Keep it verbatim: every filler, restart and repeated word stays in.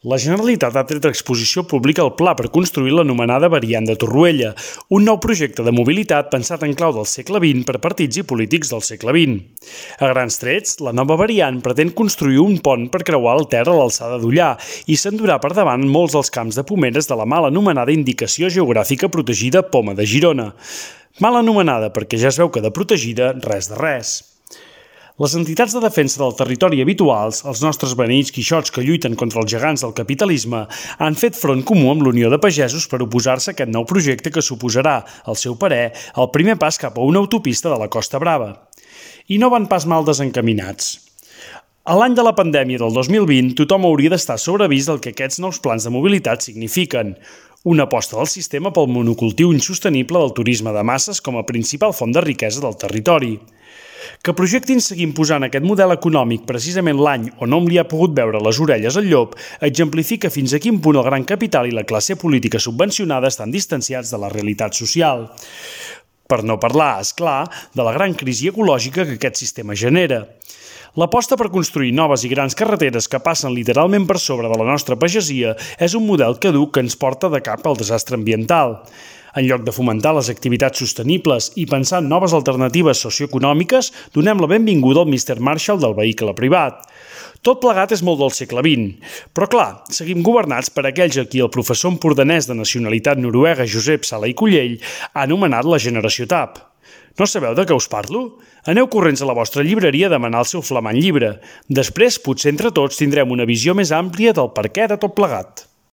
La Generalitat ha tret a exposició pública el pla per construir l'anomenada variant de Torroella, un nou projecte de mobilitat pensat en clau del segle vint per partits i polítics del segle vint. A grans trets, la nova variant pretén construir un pont per creuar el Ter a l'alçada d'Ullà i s'endurà per davant molts dels camps de pomeres de la mal anomenada Indicació Geogràfica Protegida Poma de Girona. Mal anomenada perquè ja es veu que de protegida res de res. Les entitats de defensa del territori habituals, els nostres beneïts quixots que lluiten contra els gegants del capitalisme, han fet front comú amb l'Unió de Pagesos per oposar-se a aquest nou projecte que suposarà, al seu parer, el primer pas cap a una autopista de la Costa Brava. I no van pas mal desencaminats. A l'any de la pandèmia del dos mil vint, tothom hauria d'estar sobre avís del que aquests nous plans de mobilitat signifiquen. Una aposta del sistema pel monocultiu insostenible del turisme de masses com a principal font de riquesa del territori. Que projectin seguir imposant aquest model econòmic precisament l'any on hom li ha pogut veure les orelles al llop exemplifica fins a quin punt el gran capital i la classe política subvencionada estan distanciats de la realitat social. Per no parlar, és clar, de la gran crisi ecològica que aquest sistema genera. L'aposta per construir noves i grans carreteres que passen literalment per sobre de la nostra pagesia és un model caduc que ens porta de cap al desastre ambiental. En lloc de fomentar les activitats sostenibles i pensar en noves alternatives socioeconòmiques, donem la benvinguda al míster Marshall del vehicle privat. Tot plegat és molt del segle vint. Però clar, seguim governats per aquells a qui el professor empordanès de nacionalitat noruega Josep Sala i Cullell ha anomenat la generació T A P. No sabeu de què us parlo? Aneu corrents a la vostra llibreria a demanar el seu flamant llibre. Després, potser entre tots tindrem una visió més àmplia del perquè de tot plegat.